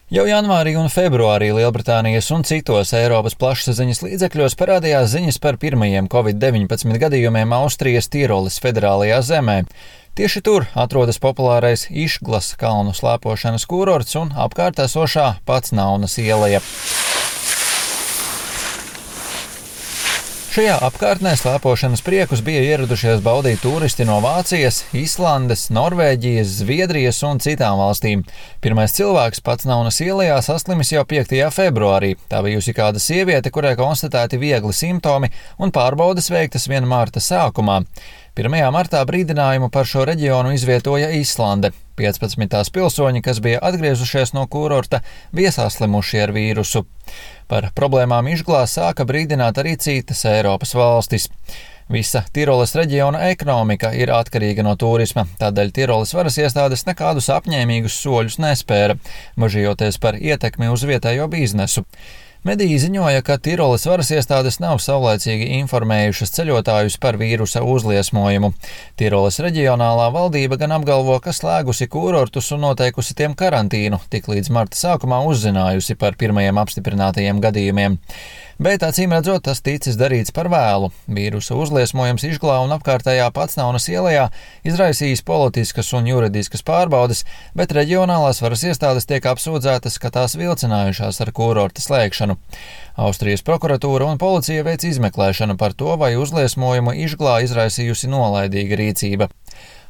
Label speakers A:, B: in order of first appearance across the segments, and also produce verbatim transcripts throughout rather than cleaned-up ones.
A: Jau janvārī un februārī Lielbritānijas un citos Eiropas plašsaziņas līdzekļos parādījās ziņas par pirmajiem covid deviņpadsmit gadījumiem Austrijas Tiroles federālajā zemē. Tieši tur atrodas populārais Išglas kalnu slēpošanas kurorts un apkārt esošā Pacnaunas ieleja. Šajā apkārtnē slēpošanas priekus bija ieradušies baudīt turisti no Vācijas, Islandes, Norvēģijas, Zviedrijas un citām valstīm. Pirmais cilvēks Pacnaunas ielejā saslimis jau piektajā februārī. Tā bijusi kāda sieviete, kurai konstatēti viegli simptomi un pārbaudes veiktas vien marta sākumā. pirmajā martā brīdinājumu par šo reģionu izvietoja Islande. piecpadsmit tās pilsoņi, kas bija atgriezušies no kurorta, bija saslimuši ar vīrusu. Par problēmām Išglā sāka brīdināt arī citas Eiropas valstis. Visa Tiroles reģiona ekonomika ir atkarīga no turisma, tādēļ Tiroles varas iestādes nekādus apņēmīgus soļus nespēra, bažījoties par ietekmi uz vietējo biznesu. Mediji ziņoja, ka Tiroles varas iestādes nav saulaicīgi informējušas ceļotājus par vīrusa uzliesmojumu. Tiroles reģionālā valdība gan apgalvo, ka slēgusi kurortus un noteikusi tiem karantīnu, tik līdz marta sākumā uzzinājusi par pirmajiem apstiprinātajiem gadījumiem. Bet, acīm redzot, tas ticis darīts par vēlu. Vīrusa uzliesmojums Išglā un apkārtējā Pacnaunas ielejā izraisījis politiskas un juridiskas pārbaudes, bet reģionālās varas iestādes tiek apsūdzētas, ka tās vilcinājušās ar kurorta slēgšanu. Austrijas prokuratūra un policija veic izmeklēšanu par to, vai uzliesmojumu Išglā izraisījusi nolaidīga rīcība.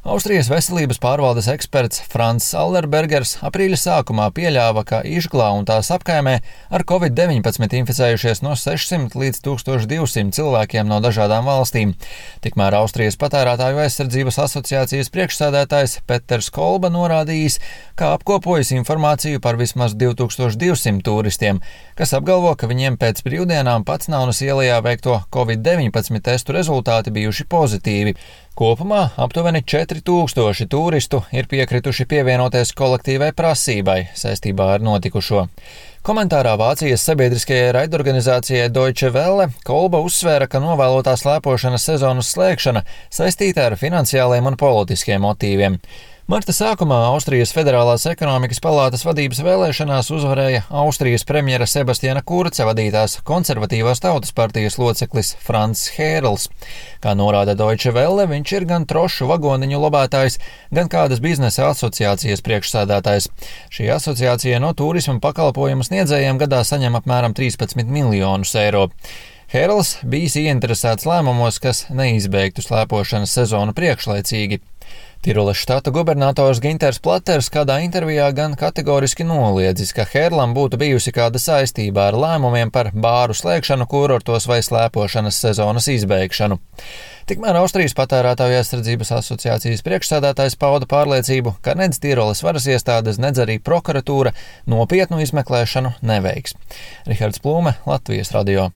A: Austrijas veselības pārvaldes eksperts Frans Allerbergers aprīļa sākumā pieļāva, ka Išglā un tās apkaimē ar covid deviņpadsmit inficējušies no sešsimt līdz tūkstoš divsimt cilvēkiem no dažādām valstīm. Tikmēr Austrijas patērētāju aizsardzības asociācijas priekšsēdētājs Peters Kolba norādījis, ka apkopojas informāciju par vismaz divi tūkstoši divsimt turistiem, kas apgalvo, ka viņiem pēc brīvdienām Pacnaunas ielejā veikto covid deviņpadsmit testu rezultāti bijuši pozitīvi. Kopumā aptuveni četri tūkstoši turistu ir piekrituši pievienoties kolektīvai prasībai saistībā ar notikušo. Komentārā Vācijas sabiedriskajai raidorganizācijai Deutsche Welle Kolba uzsvēra, ka novēlotā slēpošanas sezonas slēgšana saistīta ar finansiāliem un politiskiem motīviem. Marta sākumā Austrijas Federālās ekonomikas palātas vadības vēlēšanās uzvarēja Austrijas premjera Sebastiana Kurca vadītās konservatīvās tautas partijas loceklis Franz Hērls. Kā norāda Deutsche Welle, viņš ir gan trošu vagoniņu lobētājs, gan kādas biznesa asociācijas priekšsēdētājs. Šī asociācija no turisma pakalpojumu sniedzējiem gadā saņem apmēram trīspadsmit miljonus eiro. Hērls bijis ieinteresēts lēmumos, kas neizbeigtu slēpošanas sezonu priekšlaicīgi. Tiroles štata gubernators Ginters Platers kādā intervijā gan kategoriski noliedzis, ka Hērlam būtu bijusi kāda saistība ar lēmumiem par bāru slēgšanu kurortos vai slēpošanas sezonas izbeigšanu. Tikmēr Austrijas patērētāju aizsardzības asociācijas priekšsēdētājs pauda pārliecību, ka nedz Tiroles varas iestādes, nedz arī prokuratūra nopietnu izmeklēšanu neveiks. Rihards Plūme, Latvijas radio.